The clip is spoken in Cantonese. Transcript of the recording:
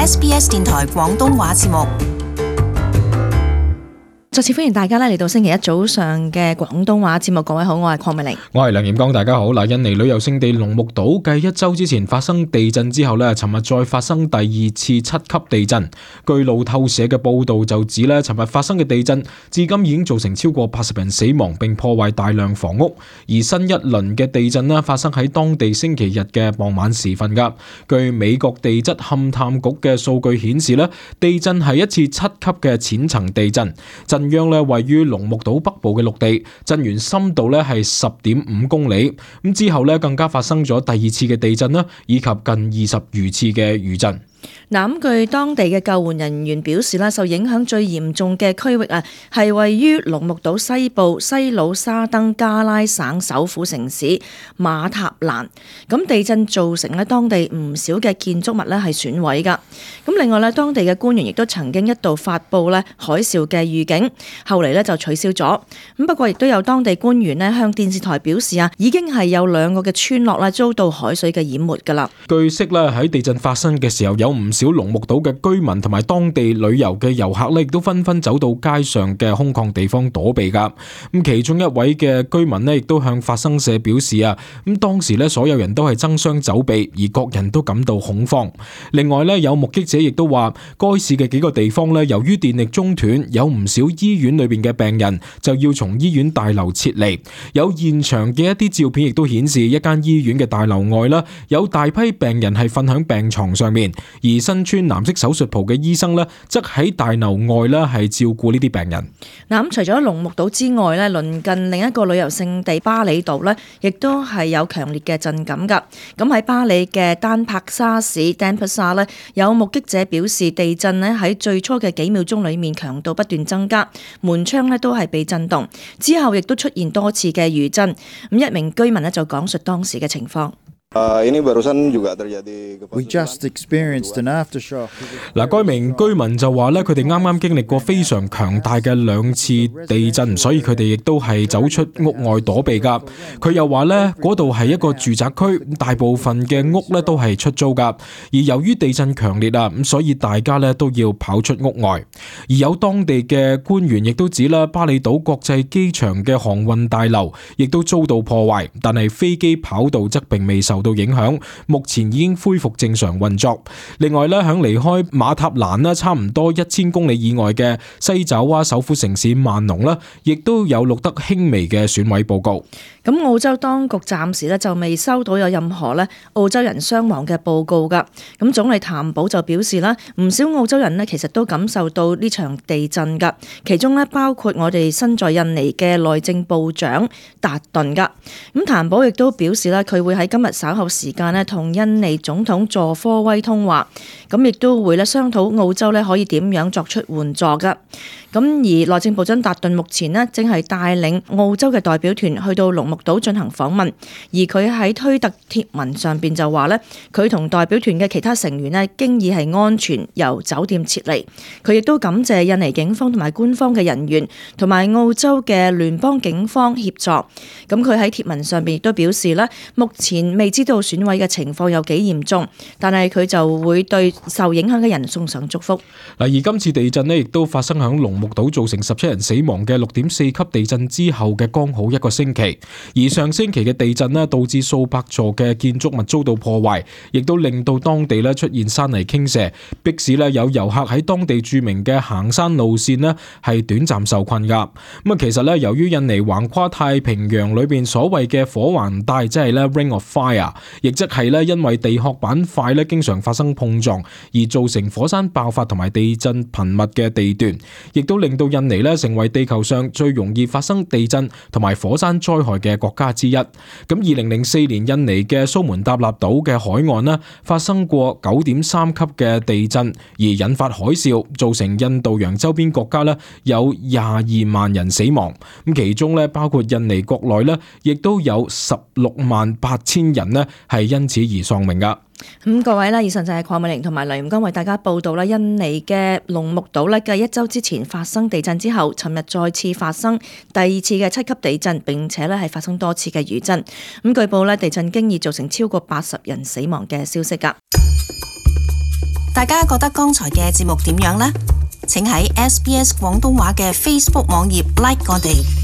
SBS 電台廣東話節目。再次歡迎大家嚟到星期一早上嘅廣東話節目。各位好，我係鄺美玲，我係梁炎剛，大家好。印尼旅遊勝地龍目島繼一周之前發生地震之後咧，尋日再發生第二次7級地震。據路透社嘅報道就指咧，尋日發生嘅地震至今已經造成超過80人死亡，並破壞大量房屋。而新一輪嘅地震咧，發生喺當地星期日嘅傍晚時分噶。據美國地質勘探局嘅數據顯示咧，地震係一次7級嘅淺層地震。震央咧位於龍目島北部嘅陸地，震源深度咧係10.5公里。咁之後咧更加發生咗第二次嘅地震啦，以及近20餘次嘅餘震。咁據當地嘅救援人員表示啦，受影響最嚴重嘅區域係位於龍目島西部西魯沙登加拉省首府城市馬塔蘭。咁地震造成咧當地唔少嘅建築物咧係損毀噶。咁另外咧，當地嘅官員亦都曾經一度發布咧海嘯嘅預警，後嚟咧就取消咗。咁不過亦都有當地官員咧向電視台表示已經係有2個嘅村落啦遭到海水嘅淹沒噶啦。據悉咧喺地震發生嘅時候，有唔少龍目島嘅居民同埋當地旅遊嘅遊客咧，亦都紛紛走到街上嘅空曠地方躲避噶。咁其中一位嘅居民咧，亦都向法新社表示咁當時咧所有人都係爭相走避，而各人都感到恐慌。另外咧，有目擊者亦都話，該市嘅幾個地方咧，由於電力中斷，有唔少醫院裏邊嘅病人就要從醫院大樓撤離。有現場嘅一啲照片亦都顯示，一間醫院嘅大樓外啦，有大批病人係瞓響病床上面，而身穿藍色手術袍嘅醫生呢，則喺大樓外呢係照顧呢啲病人。咁除咗龍目島之外呢，鄰近另一個旅遊勝地巴厘島呢，亦都係有強烈嘅震感噶。咁喺巴厘嘅丹帕沙市 Denpasar 呢，有目擊者表示，地震呢喺最初嘅幾秒鐘裏面強度不斷增加，門窗呢都係被震動，之後亦都出現多次嘅餘震。咁一名居民呢就講述當時嘅情況。Ini barusan juga terjadi. We just experienced an aftershock. 該名居民就話咧，佢哋啱啱經歷過非常強大嘅2次地震，所以佢哋亦都係走出屋外躲避噶。佢又話咧，嗰度係一個住宅區，大部分嘅屋咧都係出租噶。而由於地震強烈咁所以大家咧都要跑出屋外。而有當地嘅官員亦都指啦，巴厘島國際機場嘅航運大樓亦都遭到破壞，但係飛機跑道則並未受到影響，目前已經恢復正常運作。另外咧，響離開馬塔蘭差唔多1000公里以外嘅西爪哇首府城市萬隆亦都有錄得輕微嘅損毀報告。咁澳洲當局暫時就未收到有任何澳洲人傷亡嘅報告噶。咁總理譚寶就表示唔少澳洲人其實都感受到呢場地震噶，其中包括我哋身在印尼嘅內政部長達頓噶。咁譚寶亦都表示佢會喺今日稍後時間同印尼總統佐科威通話，咁亦都會商討澳洲可以點樣作出援助噶。咁而內政部長達頓目前正係帶領澳洲嘅代表團去到龍目島進行訪問，而佢喺推特貼文上邊就話佢同代表團嘅其他成員經已係安全由酒店撤離。佢亦都感謝印尼警方同埋官方嘅人員同埋澳洲嘅聯邦警方協助。咁佢喺貼文上邊亦都表示目前未知道損毀嘅情況有幾嚴重，但係佢就會對受影響嘅人送上祝福。而今次地震亦都發生響龍目島，造成17人死亡嘅6.4級地震之後嘅剛好1個星期。而上星期嘅地震導致數百座嘅建築物遭到破壞，亦都令到當地出現山泥傾瀉，迫使有遊客喺當地著名嘅行山路線係短暫受困噶。其實由於印尼橫跨太平洋裏邊所謂嘅火環帶，即係Ring of Fire， 亦即係因為地殼板塊經常發生碰撞而造成火山爆發同埋地震頻密嘅地段，亦都令到印尼成為地球上最容易發生地震同埋火山災害嘅國家之一。咁2004年印尼嘅蘇門答臘島嘅海岸發生過9.3級嘅地震，而引發海嘯，造成印度洋周邊國家有22萬人死亡。咁其中包括印尼國內亦都有168000人係因此而喪命噶。各位以上就係鄺美玲同埋梁炎剛為大家報道印尼嘅龍目島繼1周之前發生地震之後，尋日再次發生第2次嘅7級地震，並且係發生多次嘅餘震。據報地震經已造成超過80人死亡嘅消息噶。大家覺得剛才嘅節目點樣呢？請喺SBS 廣東話嘅 Facebook 網頁 like 我哋。